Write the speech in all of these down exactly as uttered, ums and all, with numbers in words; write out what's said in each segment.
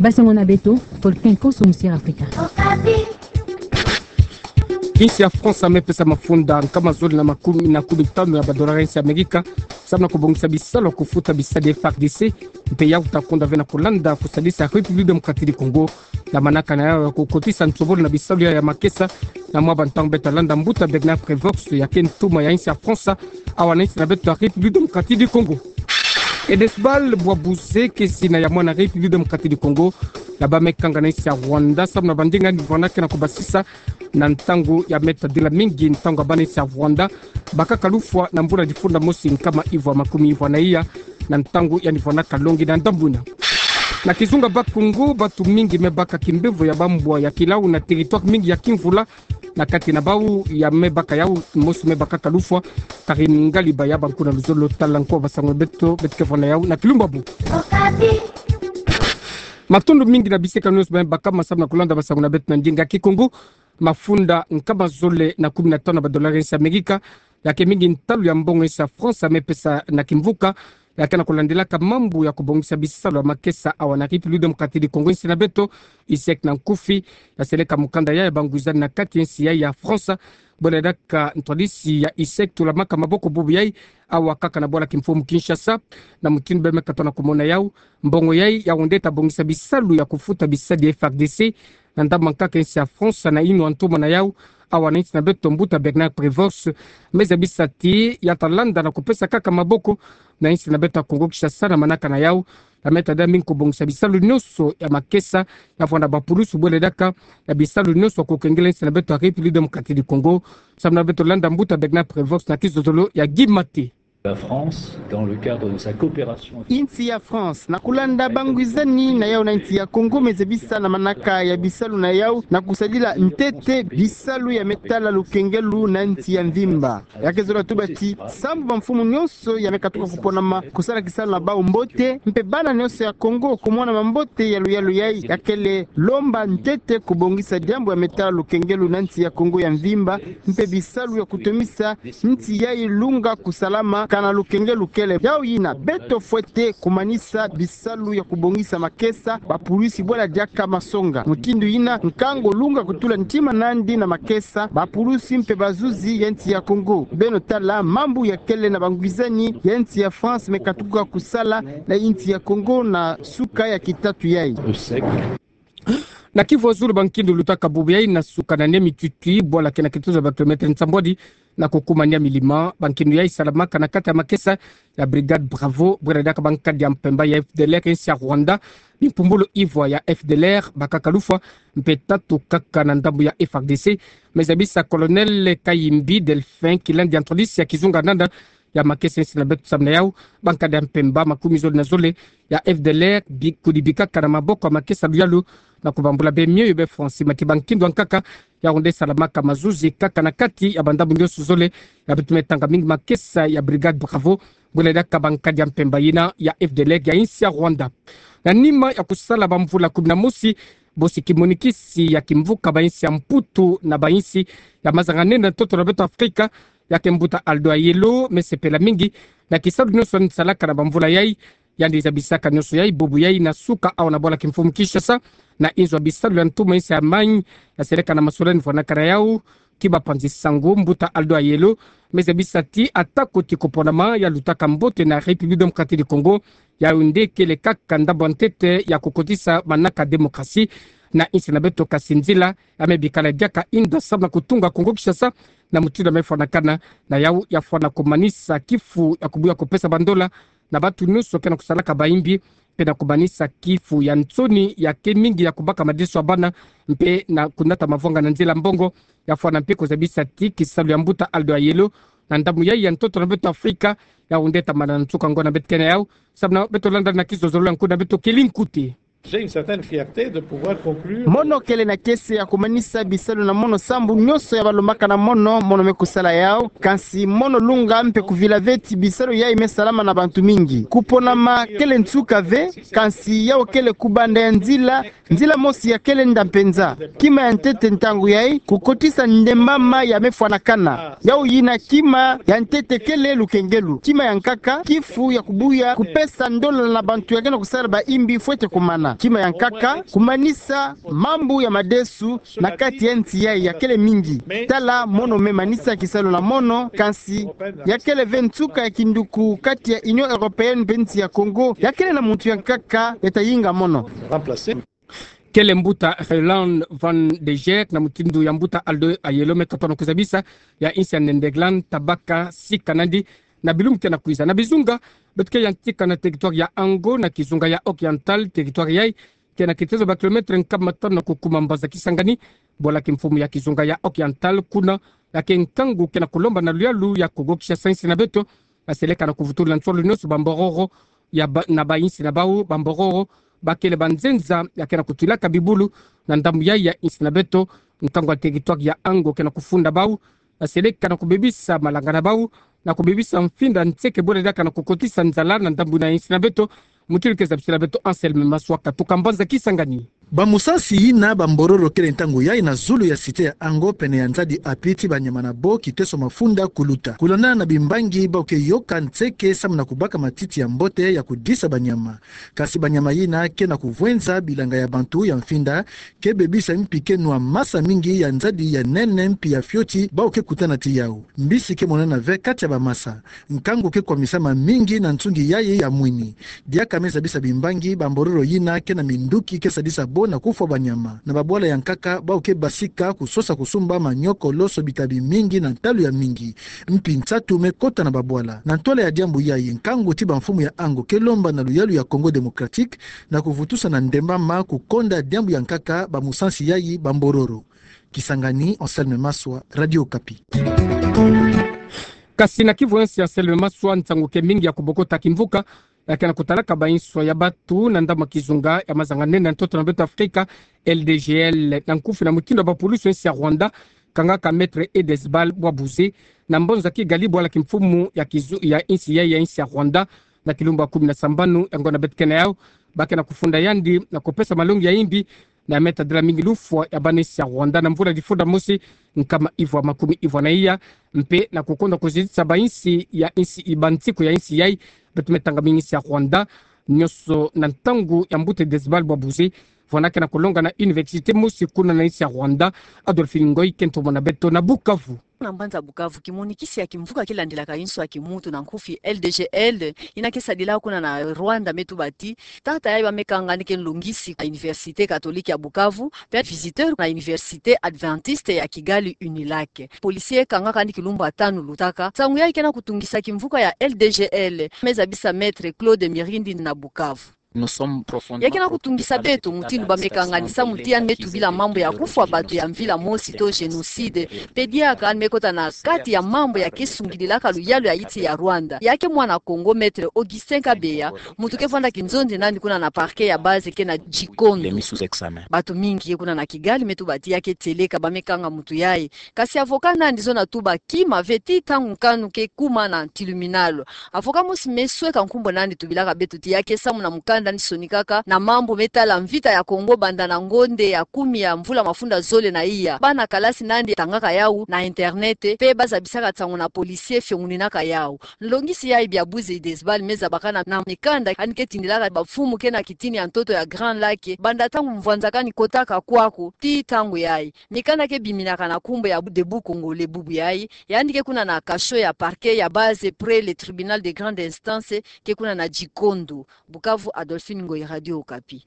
Basango na beto, Paul Ken Konso, Musière Africa. Insi ya France me pesa mafunda nkama zole na makumi, na kumi tanu ya ba dollars ya insi ya Amerika, samu na kubongisa bisalu ya kufuta bisadi ya F A R D C, mpe yau ta konda ve na kulanda kusadisa République Démocratique du Congo, na manaka na yau ya kukotisa nsobolo na bisalu ya, ya makesa, na mwa ba ntangu beta landa mbuta Bernard Prévost, ya ke ntuma ya insi ya France, awa na insi na beto ya République Démocratique du Congo. Edesbal bwa buze ke sina ya mwana République Démocratique du Congo, ya ba me kanga na insi ya Rwanda, samu na ba ndinga ni vana ke na kubasisa, na ntangu ya meta dila mingi, ntangu ya bana insi ya Rwanda bakaka lufwa na mbula difunda mosi nkama ivwa makumi ivwa na iya, na ntangu ya ni vana kalongi na ndambu ina. Na kizunga Bas-Congo, bantu mingi me baka kimbevo ya bambwa ya kilau na territoire mingi ya kimvula, na kati na bau ya me baka yau, mosi me bakaka lufwa. Karine Ngaliba ya ba nku na luzolo tala nko basango beto, beto ke vwa na yau na kilumbabu. Matondo mingi na bisekano nyonso ba me baka ma samu na kulanda basango na beto na ndinga Kikongo. Mafunda nkama zole na kumi na tanu ya ba dollars ya insi ya Amerika, ya ke mingi ntalu ya mbongo ya insi ya France me pesa na kimvuka, ya ke na kulandilaka mambu ya kubongisa bisalu ya makesa awa na République Démocratique du Congo, insi na beto. ISEC na nkufi, ya seleka mukanda ya, ya ba ngwizani na kati ya insi ya, ya France. Bwela diaka ntwadisi ya ISEC tulamaka maboko bubu yai, awa kaka na bwala kimfumu Kinshasa, na mutindu ba me katoa na kumona yau, mbongo yai ya wonde ta bongisa bisalu ya kufuta bisadi ya F A R D C, na ndambu nkaka insi ya France na inwa ntuma na yau, awa na insi na beto mbuta Bernard Prévost, me zabisa ti ya ta landa na kupesa kaka maboko na insi na beto ya Congo Kinshasa na manaka na yau, ya me ta dia mingi kubongisa bisalu nyonso ya makesa, ya vwanda ba pulusu bwela diaka ya bisalu nyonso ya kukengela insi na beto ya République Démocratique du Congo, samu na beto landa mbuta Bernard Prévost na kizozolo ya Guy Maté. La France, dans le cadre de sa coopération. Insi ya France, na kulanda ba ngwizani na yau na insi ya Congo, me zabisa na manaka ya bisalu na yau, na kusadila ntete bisalu ya me tala lukengelu na insi ya mvimba. Ya ke zola tuba ti, sambu ba mfumu nyonso ya me katuka kuponama kusala kisalu na bau mbote, mpe bana nyonso ya Congo kumona mambote ya luyalu yai, ya kele lomba ntete kubongisa diambu ya me tala lukengelu na insi ya Congo ya mvimba, mpe bisalu ya kutomisa insi yai lunga kusalama kana lukengelu kele. Yau yina, beto fwete kumanisa bisalu ya kubongisa makesa, ba pulusi bwela diaka masonga. Mutindu yina, nkangu lunga kutula ntima nandi na makesa, ba pulusi mpe bazuzi ya insi ya Congo. Beno tala mambu ya kele na ba ngwizani ya insi ya France me katuka kusala na insi ya Congo na suka ya kitatu yai. Na Kivu ya Zulu, ba nkindu lutaka bubu yai na suka na nia mitwitwi, bwala ke na kituza ba kilomètre nsambwadi na kukuma nia milima. Ba nkindu yai salamaka na kati ya makesa ya Brigade Bravo, bwela diaka ba nkadi ya mpemba ya F D L R ya insi ya Rwanda, bimpumbulu ivwa ya F D L R bakaka lufwa, mpe tatu kaka na ndambu ya F A R D C. Me zabisa Colonel Kayimbi Delphin, kilandi ya ntwadisi ya kizunga nanda ya makesa ya insi na beto samu na yau, ba nkadi ya mpemba makumi zole na zole ya F D L R bi-, kudibikaka na maboko ya makesa luyalu, na kubambula be mioyo be fonsi mati ba nkindu ya nkaka, ya wonde salamaka mazuzi kaka na kati ya ba ndambu nyonso zole, ya beto me tanga mingi makesa ya Brigade Bravo, bwela diaka ba nkadi ya mpemba yina ya F D L R ya insi ya Rwanda. Na nima ya kusala ba mvula kumi na mosi, bosi kimonikisi ya kimvuka ba insi ya Mputu na ba insi ya mazanga-nene na ntoto na beto Afrika, ya ke mbuta Aldo Ayelo, me sepela mingi na kisalu nyonso yandi salaka na ba mvula yai. Yandi zabisaka nyonso yai bubu yai na suka awa na bwala kimfumu Kinshasa, na inzo ya bisalu ya ntuma insi ya Allemagne, ya seleka na masolani vwanaka na yau ki ba panzi sango, mbuta Aldo Ayelo me zabisa ti atako ti kuponama ya lutaka mbote na République Démocratique du Congo, yau nde kele kaka ndambu ya ntete ya kukotisa manaka démocratie na insi na beto, kasi nzila ya me bikala diaka inda samu na kutunga Congo Kinshasa na mutindu ya me fwanakana. Na yau ya fwana kumanisa kifu ya kubuya kupesa ba ndola na bantu nyonso ke na kusalaka bayimbi, mpe na kumanisa kifu ya nsoni ya ke mingi ya kubaka madeso ya bana, mpe na kunata mavwanga na nzila mbongo. Ya fwana mpe kuzabisa ti kisalu ya mbuta Aldo Ayelo na ndambu yai ya ntoto na beto Afrika, yau nde ta mana na nsuka ngona beto ke na yau, samu na beto landa na kizozolo ya nko na beto keli nkuti. J'ai une certaine fierté de pouvoir conclure. Mono kele na kiese ya kumanisa bisalu na mono sambu nyonso ya balombaka na mono, mono me kusala yau, kansi mono lunga mpe kuvila ve ti bisalu yai me salama na bantu mingi. Kuponama kele nsuka ve, kansi yau kele kubanda ya nzila, nzila mosi ya kele nda mpenza. Kima ya ntete ntangu yai, kukotisa ndembama ya me fwanakana. Yau yina kima ya ntete kele lukengelu. Kima ya nkaka, kifu ya kubuya kupesa ndola na bantu ya ke na kusala bayimbi fwete kumana. Kima ya nkaka, kumanisa mambu ya madesu na kati ya nsi yayi yakele mingi. Tala mono me manisa kisalu na mono, kansi yakele ve nsuka ya kinduku kati ya Union Européenne mpe nsi ya Congo, yakele na muntu ya nkaka ya ta yinga mono. Kele mbuta Roeland van de Geer na mutindu ya mbuta Aldo Ayelo me katona kuzabisa ya insi ya Nederland ta baka sika nandi na bilumbu ke na kwiza. Na bizunga, beto ke yantika na territoire ya Ango na kizunga ya Oriental, territoire yayi ke na kitezo ba kilomètre nkama tanu na kukuma mbanza Kisangani, bwala kimfumu ya kizunga ya Oriental, kuna ya ke nkangu ke na kulomba na luyalu ya Kongo Kinshasa, insi na beto ya seleka na kuvutula nsolo nionso ba mbororo ya ba, na ba insi na bau, ba mbororo bakele ba nzenza ya ke na kutwilaka bibulu na ndambu yayi ya insi na beto. Nkangu ya territoire ya Ango ke na kufunda bau ya seleka na kubebisa malanga na bau, na kubebisa mfinda nseke bwele diaka na kukotisa nzala na ndambu na insi na beto. Mutindu ke zabisila beto Anselme Maswa katuka mbanza Kisangani. Ba musansi yina ba mbororo kele ntangu yayi na zulu ya cité ya Ango pene ya nzadi api ti banyama na bo kiteso mafunda kuluta. Kulandana na bimbangi bau ke yoka nseke samu na kubaka matiti ya mbote ya kudisa banyama. Kasi banyama yina ke na kuvwenza bilanga ya bantu ya mfinda, ke bebisa mpi ke nwa masa mingi ya nzadi ya nene mpi ya fioti bau ke kutana ti yau. Mbisi ke monana ve kati ya ba masa. Nkangu ke kwamisama mingi na nsungi yayi ya mwini. Diaka me zabisa bimbangi, ba mbororo yina ke na minduki ke sadisa bo na kufwa banyama. Na babwala ya nkaka, bau ke basika kusosa kusumba manioko loso bitabi mingi na ntalu ya mingi. Mpi nsatu me kota na babwala. Na ntwala ya diambu yayi, nkangu ti bamfumu ya Ango ke lomba na luyalu ya Congo Démocratique na kuvutusa na ndembama kukonda diambu ya nkaka ba musansi yayi ba mbororo. Kisangani, Anselme Maswa, Radio Okapi. Kasi na kivu ya nsi ya Anselme Maswa, nsangu ke mingi ya kubokota kimvuka ya ke na kutalaka ba inswa ya batu na ndambu ya kizunga ya mazanga-nene na ntoto na beto Afrika, L D G L, na nkufi na mutindu ya bapulusi ya nsi ya Rwanda kangaka Maître Edesbal Bwabuze na mbanza Kigali, bwala kimfumu ya kizu-, ya insi ya, ya insi ya Rwanda, na kilumbu ya kumi na sambanu ya ngonda beto ke na yau. Ba ke na kufunda yandi na kupesa malongi ya imbi na me tadila mingi lufwa ya bana insi ya Rwanda na mvula difunda mosi nkama ivwa makumi ivwa na iya, mpe na kukonda kuzitisa ba insi ya insi, ba nsiku ya insi yayi. Beto me tanga mingi insi ya Rwanda nionso na ntangu ya mbuta Edesbal Bwabuze, vwanda ke na kulonga na université mosi kuna na insi ya Rwanda. Adolphine Ngoy ke ntomo na beto na Bukavu. Na mbanza Bukavu, kimonikisi ya kimvuka kilandilaka inswa ya kimuntu na nkufi L D G L, yina ke sadila kuna na Rwanda, me tuba ti tata yayi ba me kanga ni ke nlongisi na Université Catholique ya Bukavu, mpe visiteur na Université Adventiste ya Kigali, UNILAC. Policier kangaka ni kilumbu ya tanu lutaka. Nsangu yayi ke na kutungisa kimvuka ya L D G L, me zabisa Maître Claude Mirindi na Bukavu. Ya ke na kutungisa beto mutindu ba me kanganisa muti yandi me tubila mambu ya kufwa batu ya mvila mosi to génocide, mpe diaka yandi me kota na kati ya mambu ya ke sungidilaka luyalu ya insi ya Rwanda. Ya ke mwana Kongo, Maître Augustin Kabeya, muntu ke vwanda kinzonzi nandi kuna na parquet ya base ke na Gikondo. Batu mingi ye kuna na Kigali me tuba ti ya ke tieleka, ba me kanga muntu yayi. Kasi avocat nandi zona tuba kima ve ti ntangu nkanu ke kuma na tribunal. Avocat mosi me sweka nkumbu nandi tubilaka beto ti ya ke samu na mukanda nandi sonikaka na mambu me tala mvita ya Kongo banda na ngonda ya kumi ya mvula mafunda zole na iya. Bana kalasi nandi tangaka yau na internet, mpe ba zabisaka nsangu na policier fionguninaka yau. Nlongisi yayi Bwabuze Edesbal me zabakana na mikanda yandi ke tindilaka bamfumu ke na kitini ya ntoto ya Grand Lac, banda ntangu mvwanzakani kotaka kwaku tii ntangu yayi. Mikanda ke biminaka na nkumbu ya Debout Congolais bubu yayi. Yandi ke kuna na cachot ya parquet ya base près le tribunal de grande instance ke kuna na Gikondo. Bukavu, Adolphine Ngoyi, Radio Okapi.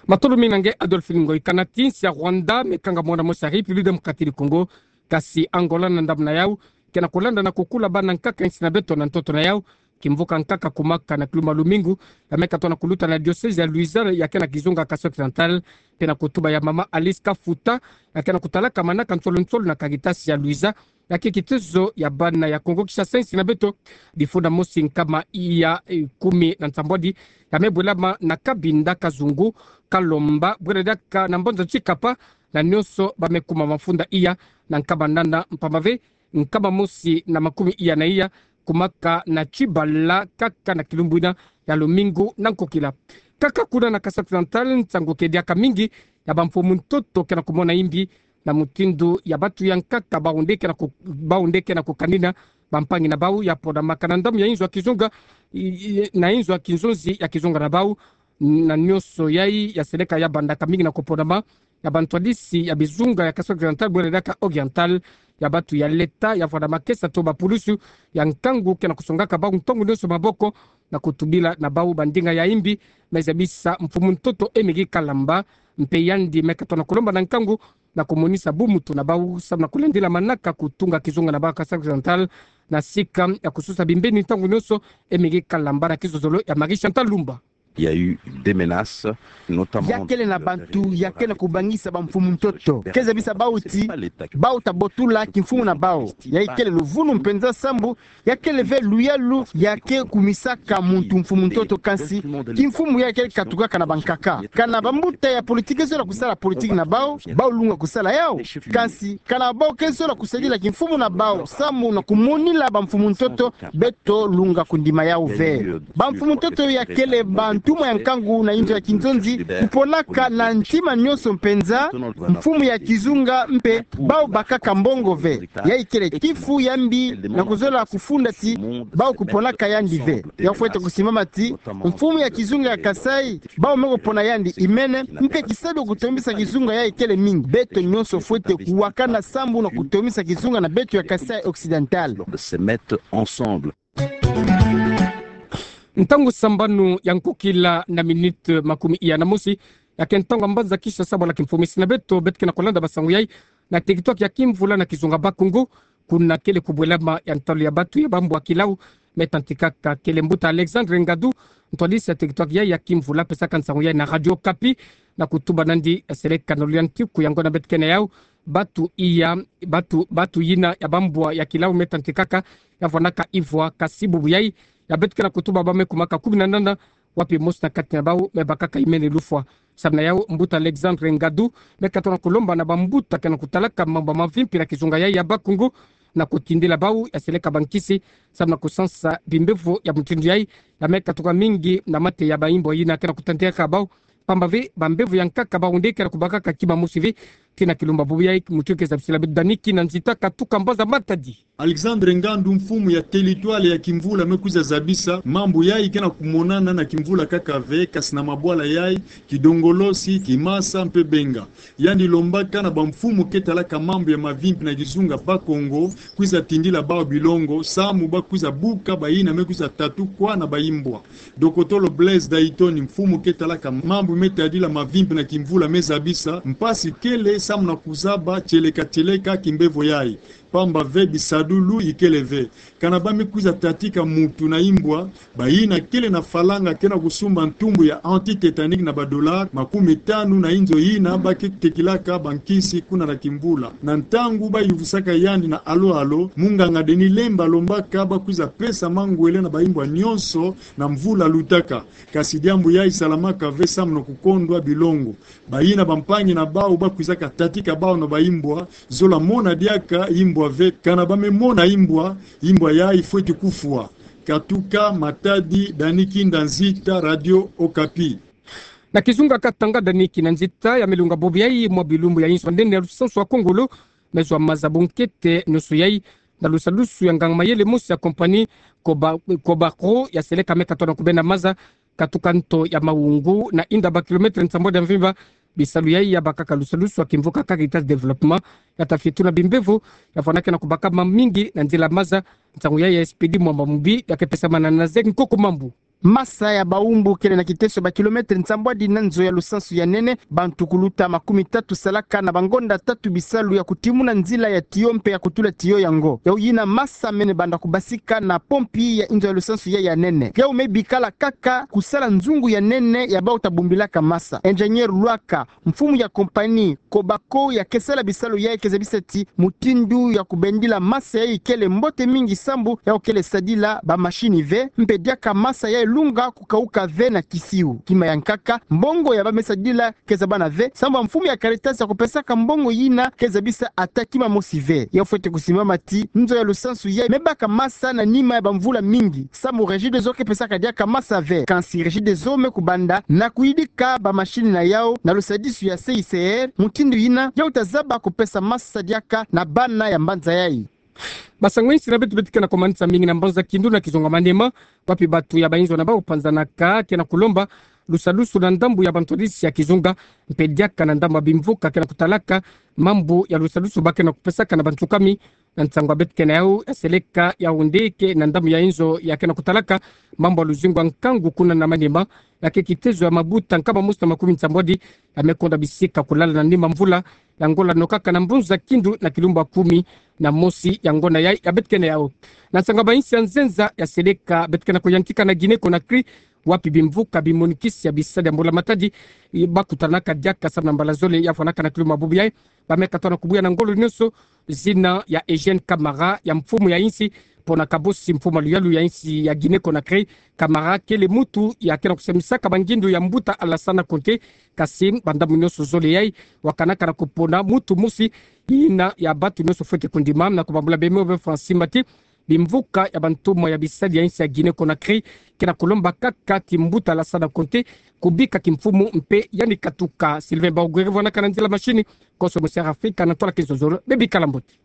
Matondo mingi na nge Adolphine Ngoyi. Kana ti insi ya Rwanda me kanga mwana mosi ya République Démocratique du Congo, kasi Angola na ndambu na yau ke na kulanda na kukula bana nkaka insi na beto na ntoto na yau. Kimvuka nkaka kumaka na kilumbu ya lumingu, ya me katona kuluta na diocèse ya Luiza ya ke na kizunga Kasai Occidental, mpe na kutuba ya mama Alice Kafuta, ya ke na kutalaka manaka nsolo-nsolo na Caritas ya Luiza, ya ke kitezo ya bana ya Kongo Kinshasa insi na beto. Difunda mosi nkama iya, eh, kumi na nsambwadi, ya me bwelama na Cabinda Kazungu, Kalomba, bwele diaka na mbanza Tshikapa, na nionso ba me kuma mafunda iya na nkama nana mpamba ve nkama mosi na makumi iya na iya, kumaka na Tshibala kaka na kilumbu ina ya lumingu na nkokila. Kaka kuna na Kasai Occidental, nsangu ke diaka mingi ya bamfumu ntoto ke na kumona imbi na mutindu ya batu ya nkaka bau nde ke na ku-, bau nde ke na kukanina bampangi na bau ya pona maka na ndambu ya inzo ya kizunga, i-, i-, na inzo ya kinzonzi ya kizunga na bau. na nionso yai ya seleka ya bandaka mingi na koponama ya bantwadisi ya bizunga ya Kasaï Occidental bwela diaka Oriental, ya batu ya leta ya vwanda makesa to bapulusu ya nkangu ke na kusongaka bau ntangu nionso maboko na kutubila na bau bandinga ya imbi, me zabisa mfumu ntoto Émeric Kalamba. Mpe yandi me katona kolomba na nkangu na kumonisa bumutu na bau samu na kulandila manaka kutunga kizunga na bau Kasaï Occidental na sika ya kususa bimbeni ntangu nionso. Émeric Kalamba na kizozolo ya Marie Chantal Lumba. Il y a eu des menaces, notamment. Ya kele na bantu ya ke na kubangisa bamfumu ntoto, ke zabisa bau ti bau ta botula kimfumu na bau. Ya ikele luvunu mpenza sambu ya kele ve luyalu ya ke kumisaka muntu mfumu ntoto, kansi kimfumu ya kele katukaka na bankaka. Kana bambuta ya politiki zola kusala politiki na bau, bau lunga kusala yau. Kansi kana bau ke zola kusadila kimfumu na bau samu na kumonila bamfumu ntoto, beto lunga kundima yau ve. Bamfumu ntoto ya kele bantumwa ya nkangu na inzo ya kinzonzi, kuponaka na ntima nionso mpenza mfumu ya kizunga, mpe bau bakaka mbongo ve. Ya ikele kifu ya mbi na kuzola kufunda ti bau kuponaka yandi ve. Ya fwete kusimama ti mfumu ya kizunga ya Kasaï, bau me kupona yandi imene, mpe kisalu kutombisa kizunga ya ikele mingi. Beto nionso fwete kuwakana sambu na kutombisa kizunga na beto ya Kasaï Occidental. De se mettre ensemble. Ntangu sambanu ya nkokila na minute makumi iya na mosi, ya ke ntangu ya mbanza kisa sabala kimfumisi na beto, beto ke na kolanda basangu yai na teritware ya Kimvula na kizunga Bas-Congo, kuna kele kubwelama ya ntalu ya batu ya bambwa kilau me tantikaka. Kele mbuta Alexandre Ngadu, ntwadisi ya teritware yai ya Kimvula, pesaka nsangu yai na Radio Okapi, na kutuba nandi ya seleka na luyantiku yango na beto ke na yau. Batu iya, batu, batu yina ya bambwa ya kilau me tantikaka, ya vwanaka ivwa, kasi bubu yai ya beto ke na kutuba bau me kumaka kumi na nana, wapi mosi na kati na bau me bakaka imene lufwa. Samu na yau, mbuta Alexandre Ngadu me katona kolomba na bambuta ke na kutalaka mambu ya mavimpi na kizunga yai ya Bas-Congo na kutindila bau ya seleka bankisi samu na kusansa bimbevo ya mutindu yai, ya me katuka mingi na mate ya baimbwa yina ke na kutantikaka bau. Pamba ve bambevo ya nkaka bau nde ke na kubakaka kima mosi ve. Tina Kilumba, bubu yai mutindu ke zabisila beto Dani Kinanzita katuka mbanza Matadi. Alexandre Ngadu, mfumu ya teritware ya Kimvula, me kwiza zabisa mambu yai ke na kumonana na Kimvula kaka ve, kasi na mabwala yai Kidongolosi, Kimasa mpe Benga. Yandi lombaka na bamfumu ke talaka mambu ya mavimpi na kizunga Bas-Congo kwiza tindila bau bilongo samu bau kwiza buka bayina me kwiza tatukwa na baimbwa. Dokotolo Blaise Dayton, mfumu ke talaka mambu me tadila mavimpi na Kimvula, me zabisa mpasi kele samu na kuzaba tieleka tieleka kimbevo yai, pamba ve bisadulu ikele ve. Kana bau me kwiza tatika mutu na imbwa, bayina kele na falanga ke na kusumba ntumbu ya anti-tetanique na ba dollars makumi tanu na inzo yina bau ke tekilaka bankisi kuna na Kimvula. Na ntangu bau yuvusaka yandi na alo-alo, munganga Denis Lemba lombaka bau kwiza pesa mangwele na baimbwa nionso na mvula lutaka. Kasi diambu yai isalamaka ve samu na kukondwa bilongo. Bayina bampangi na bau bau kwizaka tatika bau na baimbwa, zola mona diaka imbwa ve. Kana bau me mona imbwa, imbwa yai fweti kufwa. Katuka Matadi, Dani Kinanzita, Radio Okapi. Na kizunga Katanga, Dani Kinanzita, ya me lunga bubu yai mwa bilumbu ya inzo nene ya lusansu wa Kongolo, me zwa maza bunkete nionso yai na lusalusu ya nganga mayele mosi ya compagnie Coba-, Cobaco ya seleka me katona kubenda maza katuka nto ya Mawoungu, na inda ba kilomètre nsambwadi ya mvimba. Bisalu yai ya bakaka lusalusu wa kimvuka Caritas Développement, ya ta fituna bimbevo ya vwanaka na kubaka mamingi na nzila maza. Nsangu yai ya Expédit Mwamba Mubi, ya ke pesamana na Zek Nkoko Mambu. Masa ya baumbu kele na kiteso ba kilomètre nsambwadi na nzo ya lusansu ya nene. Bantu kuluta makumi tatu salaka na bangonda tatu bisalu ya kutimuna nzila ya tiyo mpe ya kutula tiyo yango. Yau yina masa mene banda kubasika na pompi ya inzo ya lusansu ya, ya nene. Yau me bikala kaka kusala nzungu ya nene ya bau ta bumbilaka masa. Ingénieur Lwaka, mfumu ya compagnie Cobaco ya ke sala bisalu yai ke zabisa ti mutindu ya kubendila masa yai kele mbote mingi sambu yau kele sadila ba machine ve, mpe diaka masa yai lunga kukauka ve na kisiu. Kima ya nkaka, mbongo ya bau me sadila ke zabana ve, sambu mfumu ya Caritas ya kupesaka mbongo yina ke zabisa ata kima mosi ve. Yau fwete kusimbama ti nzo ya lusansu yai me baka masa na nima ya bamvula mingi, sambu Regideso ke pesaka diaka masa ve. Kansi Regideso me kubanda na kuyidika ba machine na yau na lusadisu ya C I C R, mutindu yina yau ta zaba kupesa masa diaka na bana ya mbanza yai. Basangu insi na beto beto ke na komanisa mingi na mbanza Kindu na kizunga Maniema, wapi batu ya bainzo na bau panzanaka ke na kulomba lusalusu na ndambu ya bantu hadisi ya kizunga, mpe diaka na ndambu ya bimvuka ke na kutalaka mambu ya lusalusu ba ke na kupesaka na bantu kami. Na nsangu ya beto kena yau, ya seleka Yaoundé ke na ndambu ya inzo ya ke na kutalaka mambu ya luzingu ya nkangu kuna na Maniema, ya ke kitezo ya mabuta nkama mosi na makumi nsambwadi ya me konda bisika kulala na nima mvula ya ngola nokaka na mbunzu ya Kindu na kilumbu ya kumi na mosi ya ngonda yai ya beto kena yau. Na nsangu ya bayinsi ya nzenza, ya seleka beto kena kuyantika na Guinée Conakry, wapi bimvuka bimonikisi ya bisadi ya mbula-matadi ba kutanaka diaka samu na mbala zole ya fwanaka na kilumbu ya bubu yai, ba me katoa na kubuya na ngolo nyonso zina ya Eugène Camara, ya mfumu ya insi, pona kabosi mfumu ya luyalu ya insi ya Guinée Conakry. Camara kele mutu ya ke na kusamisaka bangindu ya mbuta Alassane Conté, kasi ba ndambu nyonso zole yai wakanaka na kupona mutu mosi, yina ya bantu nyonso fwete kundima. Na kubambula bemo be Francine Mati, bimvuka ya bantumwa ya bisadi ya insi ya Guinée Conakry ke na kulomba kaka ti mbuta Alassane Conté kubika kimfumu mpe yandi katuka. Sylvain Baogwere vwanaka na nzila mashini, konso Moussa Afrika na ntwala kinzonzolo, bebikala mbote.